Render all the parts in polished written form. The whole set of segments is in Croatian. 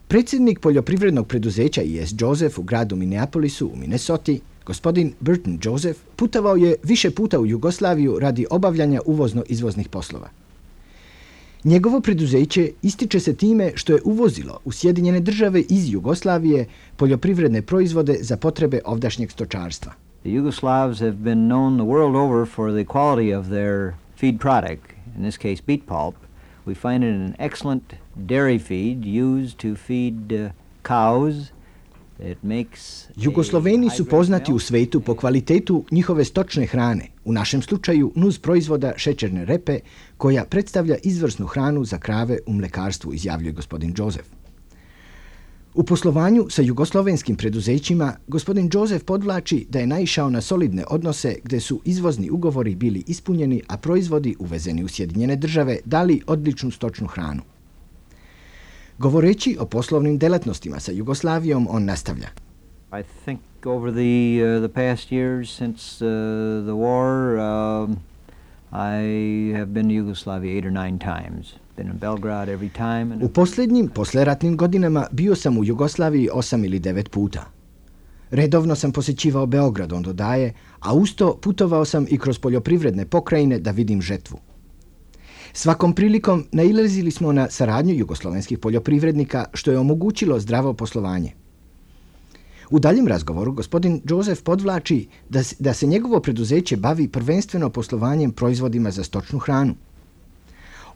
Predsjednik poljoprivrednog preduzeća E.S. Joseph u gradu Minneapolisu u Minnesoti, gospodin Burton Joseph, putovao je više puta u Jugoslaviju radi obavljanja uvozno-izvoznih poslova. Njegovo preduzeće ističe se time što je uvozilo u Sjedinjene Države iz Jugoslavije poljoprivredne proizvode za potrebe ovdašnjeg stočarstva. The Yugoslavs have been known the world over for the quality of their feed product, in this case beet pulp. We find it an excellent dairy feed used to feed cows. It makes Jugosloveni su poznati u svetu po kvalitetu njihove stočne hrane, u našem slučaju nuz proizvoda šećerne repe, koja predstavlja izvrsnu hranu za krave u mlekarstvu, izjavljuje gospodin Joseph. U poslovanju sa jugoslovenskim preduzećima, gospodin Joseph podvlači da je naišao na solidne odnose gdje su izvozni ugovori bili ispunjeni, a proizvodi uvezeni u Sjedinjene Države dali odličnu stočnu hranu. Govoreći o poslovnim delatnostima sa Jugoslavijom, on nastavlja. I think over the past years since the war, I have been to Yugoslavia 8 or 9 times. Been in Belgrade every time. U posljednjim posleratnim godinama bio sam u Jugoslaviji 8 ili 9 puta. Redovno sam posjećivao Beograd, on dodaje, a usto putovao sam i kroz poljoprivredne pokrajine da vidim žetvu. Svakom prilikom nailazili smo na saradnju jugoslovenskih poljoprivrednika, što je omogućilo zdravo poslovanje. U daljem razgovoru gospodin Joseph podvlači da se njegovo preduzeće bavi prvenstveno poslovanjem proizvodima za stočnu hranu.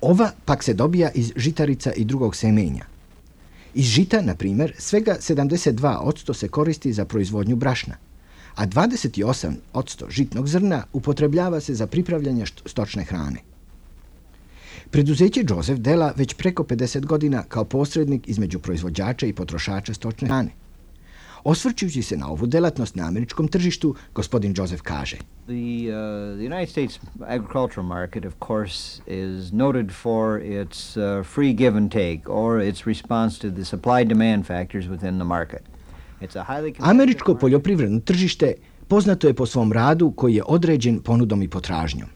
Ova pak se dobija iz žitarica i drugog semenja. Iz žita, na primjer, svega 72% se koristi za proizvodnju brašna, a 28% žitnog zrna upotrebljava se za pripravljanje stočne hrane. Preduzeće Joseph dela već preko 50 godina kao posrednik između proizvođača i potrošača stočne hrane. Osvrćujući se na ovu delatnost na američkom tržištu, gospodin Joseph kaže: The United States agricultural market, of course, is noted for its free give and take, or its response to the supply-demand factors within the market. Američko poljoprivredno tržište poznato je po svom radu koji je određen ponudom i potražnjom.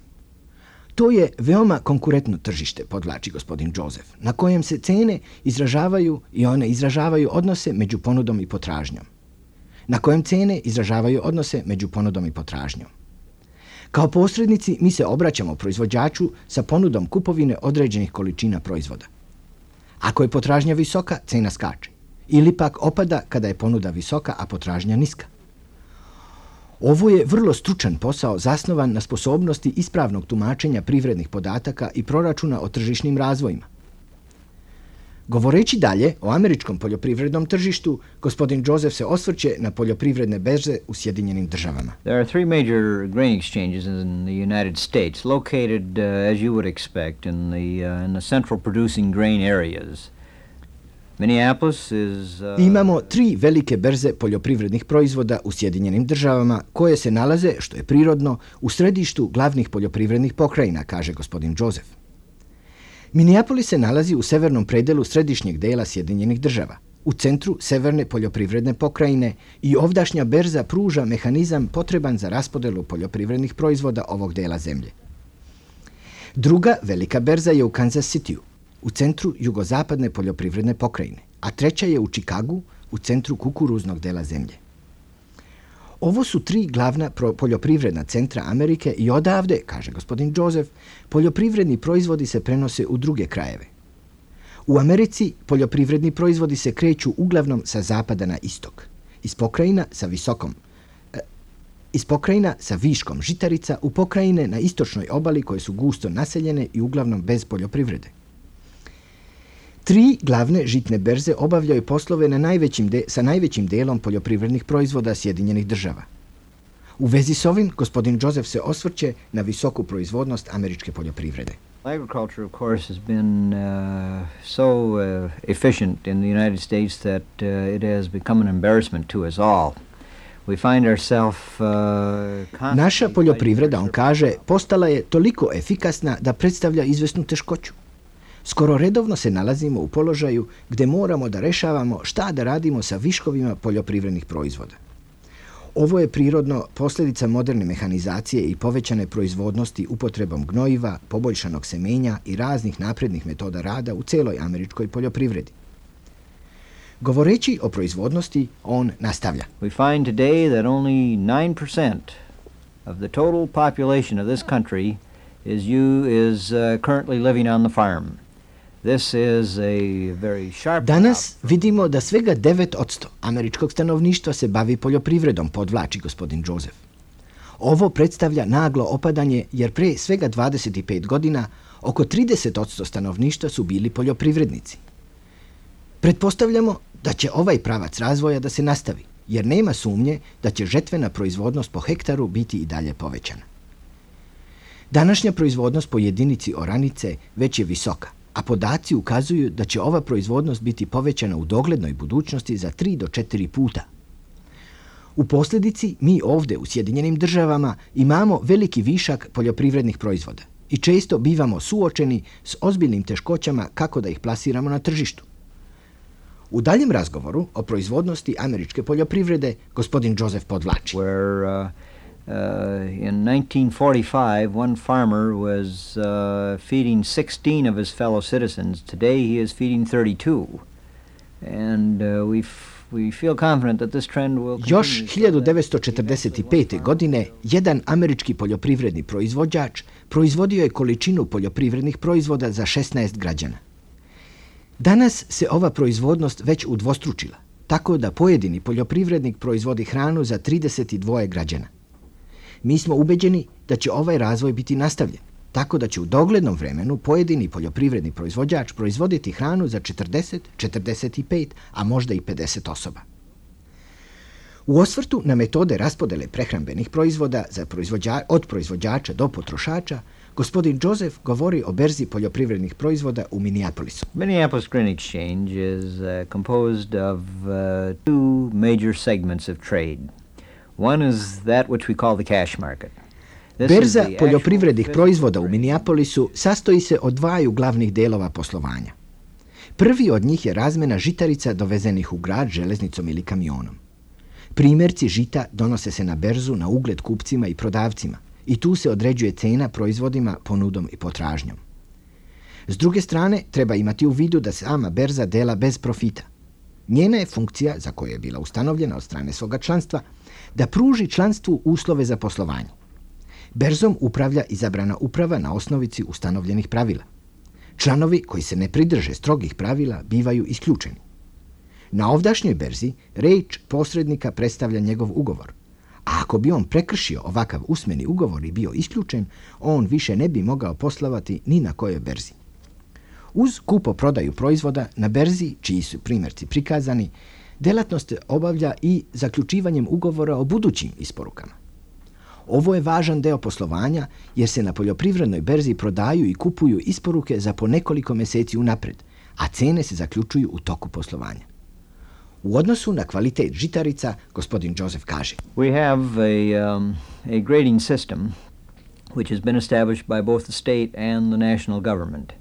To je veoma konkurentno tržište, podvlači gospodin Joseph, na kojem se cene izražavaju i one izražavaju odnose među ponudom i potražnjom. Kao posrednici mi se obraćamo proizvođaču sa ponudom kupovine određenih količina proizvoda. Ako je potražnja visoka, cena skače. Ili pak opada kada je ponuda visoka, a potražnja niska. Ovo je vrlo stručan posao zasnovan na sposobnosti ispravnog tumačenja privrednih podataka i proračuna o tržišnim razvojima. Govoreći dalje o američkom poljoprivrednom tržištu, gospodin Joseph se osvrće na poljoprivredne berze u Sjedinjenim Državama. There are 3 major grain exchanges in the United States, located, as you would expect, in the central producing grain areas. Minneapolis is, Imamo 3 velike berze poljoprivrednih proizvoda u Sjedinjenim Državama koje se nalaze, što je prirodno, u središtu glavnih poljoprivrednih pokrajina, kaže gospodin Joseph. Minneapolis se nalazi u severnom predelu središnjeg dela Sjedinjenih Država, u centru severne poljoprivredne pokrajine, i ovdašnja berza pruža mehanizam potreban za raspodelu poljoprivrednih proizvoda ovog dela zemlje. Druga velika berza je u Kansas Cityu, u centru jugozapadne poljoprivredne pokrajine, a treća je u Chicagu, u centru kukuruznog dela zemlje. Ovo su 3 glavna poljoprivredna centra Amerike i odavde, kaže gospodin Joseph, poljoprivredni proizvodi se prenose u druge krajeve. U Americi poljoprivredni proizvodi se kreću uglavnom sa zapada na istok, iz pokrajina sa viškom žitarica u pokrajine na istočnoj obali koje su gusto naseljene i uglavnom bez poljoprivrede. 3 glavne žitne berze obavljaju poslove sa najvećim delom poljoprivrednih proizvoda Sjedinjenih Država. U vezi s ovim, gospodin Joseph se osvrće na visoku proizvodnost američke poljoprivrede. Agriculture, of course, has been so efficient in the United States that it has become an embarrassment to us all. We find ourselves Naša poljoprivreda, on kaže, postala je toliko efikasna da predstavlja izvesnu teškoću. Skoro redovno se nalazimo u položaju gdje moramo da rešavamo šta da radimo sa viškovima poljoprivrednih proizvoda. Ovo je prirodno posljedica moderne mehanizacije i povećane proizvodnosti upotrebom gnojiva, poboljšanog semenja i raznih naprednih metoda rada u celoj američkoj poljoprivredi. Govoreći o proizvodnosti, on nastavlja. We find today that only 9% of the total population of this country is currently living on the farm. This is a very sharp. Danas vidimo da svega 9% američkog stanovništva se bavi poljoprivredom, podvlači gospodin Joseph. Ovo predstavlja naglo opadanje jer pre svega 25 godina oko 30% stanovništva su bili poljoprivrednici. Pretpostavljamo da će ovaj pravac razvoja da se nastavi, jer nema sumnje da će žetvena proizvodnost po hektaru biti i dalje povećana. Današnja proizvodnost po jedinici oranice već je visoka, a podaci ukazuju da će ova proizvodnost biti povećana u doglednoj budućnosti za 3 do 4 puta. U posljedici, mi ovdje u Sjedinjenim državama imamo veliki višak poljoprivrednih proizvoda i često bivamo suočeni s ozbiljnim teškoćama kako da ih plasiramo na tržištu. U daljem razgovoru o proizvodnosti američke poljoprivrede gospodin Joseph podvlači. In 1945, one farmer was feeding 16 of his fellow citizens. Today he is feeding 32. And we feel confident that this trend will continue. Još 1945. godine jedan američki poljoprivredni proizvođač proizvodio je količinu poljoprivrednih proizvoda za 16 građana. Danas se ova proizvodnost već udvostručila, tako da pojedini poljoprivrednik proizvodi hranu za 32 građana. Mi smo ubeđeni da će ovaj razvoj biti nastavljen, tako da će u doglednom vremenu pojedini poljoprivredni proizvođač proizvoditi hranu za 40, 45, a možda i 50 osoba. U osvrtu na metode raspodele prehrambenih proizvoda od proizvođača do potrošača, gospodin Joseph govori o berzi poljoprivrednih proizvoda u Minneapolisu. Minneapolis Grain Exchange is composed of two major segments of trade. One is that which we call the cash market. Berza poljoprivrednih proizvoda u Minneapolisu sastoji se od dvaju glavnih delova poslovanja. Prvi od njih je razmjena žitarica dovezenih u grad železnicom ili kamionom. Primjerci žita donose se na berzu na ugled kupcima i prodavcima i tu se određuje cena proizvodima ponudom i potražnjom. S druge strane, treba imati u vidu da sama berza dela bez profita. Njena je funkcija, za koju je bila ustanovljena od strane svoga članstva, da pruži članstvu uslove za poslovanje. Berzom upravlja izabrana uprava na osnovici ustanovljenih pravila. Članovi koji se ne pridrže strogih pravila bivaju isključeni. Na ovdašnjoj berzi reč posrednika predstavlja njegov ugovor, a ako bi on prekršio ovakav usmeni ugovor i bio isključen, on više ne bi mogao poslovati ni na kojoj berzi. Uz kupo-prodaju proizvoda na berzi, čiji su primjerci prikazani, delatnost obavlja i zaključivanjem ugovora o budućim isporukama. Ovo je važan deo poslovanja jer se na poljoprivrednoj berzi prodaju i kupuju isporuke za po nekoliko mjeseci unapred, a cene se zaključuju u toku poslovanja. U odnosu na kvalitet žitarica, gospodin Joseph kaže: We have a grading system which has been established by both the state and the national government.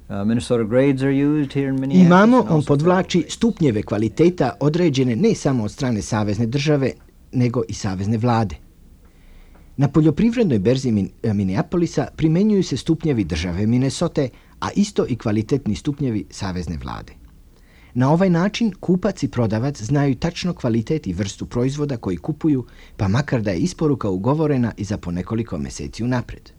Minnesota grades are used here in Minneapolis. Imamo, on podvlači, stupnjeve kvaliteta određene ne samo od strane savezne države, nego i savezne vlade. Na poljoprivrednoj berzi Minneapolisa primjenjuju se stupnjevi države Minnesote, a isto i kvalitetni stupnjevi savezne vlade. Na ovaj način kupac i prodavac znaju tačno kvalitet i vrstu proizvoda koji kupuju, pa makar da je isporuka ugovorena i za po nekoliko mjeseci unapred.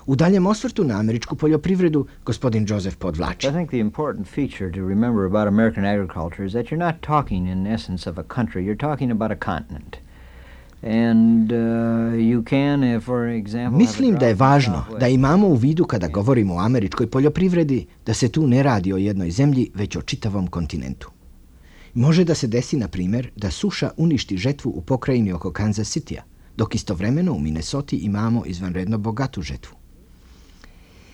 U daljem osvrtu na američku poljoprivredu, gospodin Joseph podvlači. I think the important feature to remember about American agriculture is that you're not talking in essence of a country, you're talking about a continent. And you can, for example, mislim da je važno da imamo u vidu kada govorimo o američkoj poljoprivredi da se tu ne radi o jednoj zemlji, već o čitavom kontinentu. Može da se desi, na primjer, da suša uništi žetvu u pokrajini oko Kansas Citya, dok istovremeno u Minnesoti imamo izvanredno bogatu žetvu.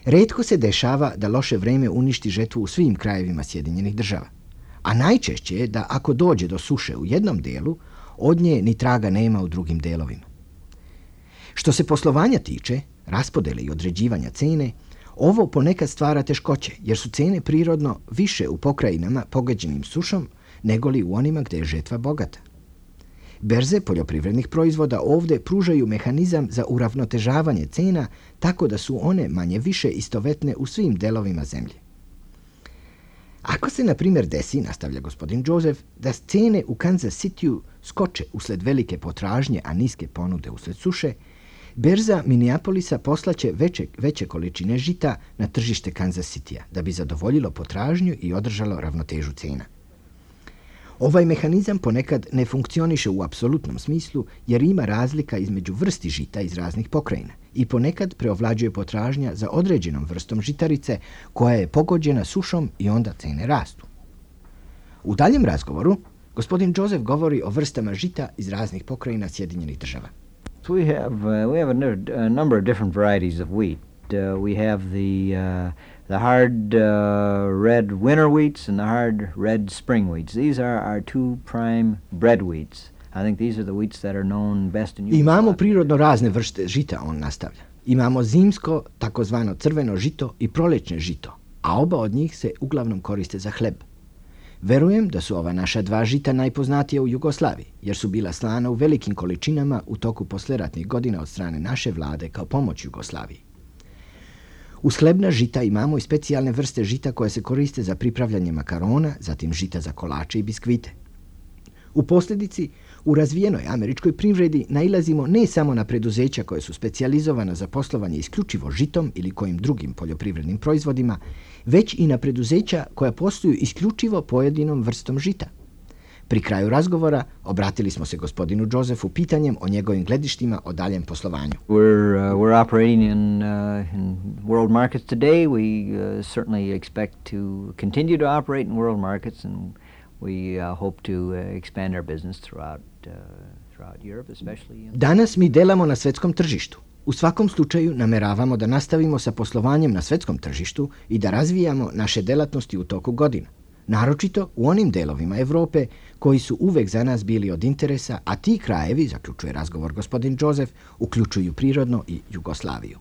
Retko se dešava da loše vreme uništi žetvu u svim krajevima Sjedinjenih država, a najčešće je da ako dođe do suše u jednom delu, od nje ni traga nema u drugim delovima. Što se poslovanja tiče, raspodele i određivanja cene, ovo ponekad stvara teškoće, jer su cene prirodno više u pokrajinama pogađenim sušom nego li u onima gdje je žetva bogata. Berze poljoprivrednih proizvoda ovdje pružaju mehanizam za uravnotežavanje cena tako da su one manje više istovetne u svim delovima zemlje. Ako se, na primjer, desi, nastavlja gospodin Joseph, da cene u Kansas Cityu skoče usled velike potražnje, a niske ponude usled suše, berza Minneapolisa poslaće veće količine žita na tržište Kansas Cityja da bi zadovoljilo potražnju i održalo ravnotežu cena. Ovaj mehanizam ponekad ne funkcioniše u apsolutnom smislu jer ima razlika između vrsti žita iz raznih pokrajina i ponekad preovlađuje potražnja za određenom vrstom žitarice koja je pogođena sušom i onda cene rastu. U daljem razgovoru gospodin Joseph govori o vrstama žita iz raznih pokrajina Sjedinjenih Država. We have a number of different varieties of wheat. We have the hard red winter wheats and the hard red spring wheats. These are our two prime bread wheats. I think these are the wheats that are known best in Yugoslavia. Imamo prirodno razne vrste žita, on nastavlja. Imamo zimsko, takozvano crveno žito i proljećne žito, a oba od njih se uglavnom koriste za hleb. Verujem da su ova naša dva žita najpoznatija u Jugoslaviji, jer su bila slana u velikim količinama u toku posleratnih godina od strane naše vlade kao pomoć Jugoslaviji. Uz hlebna žita imamo i specijalne vrste žita koje se koriste za pripravljanje makarona, zatim žita za kolače i biskvite. U posljedici, u razvijenoj američkoj privredi nailazimo ne samo na preduzeća koje su specijalizovana za poslovanje isključivo žitom ili kojim drugim poljoprivrednim proizvodima, već i na preduzeća koja posluju isključivo pojedinom vrstom žita. Pri kraju razgovora obratili smo se gospodinu Josephu pitanjem o njegovim gledištima o daljem poslovanju. We're operating in world markets today. We certainly expect to continue to operate in world markets, and we hope to expand our business throughout Europe, especially. Danas mi delamo na svetskom tržištu. U svakom slučaju nameravamo da nastavimo sa poslovanjem na svetskom tržištu i da razvijamo naše delatnosti u toku godina. Naročito u onim delovima Europe koji su uvek za nas bili od interesa, a ti krajevi, zaključuje razgovor gospodin Joseph, uključuju prirodno i Jugoslaviju.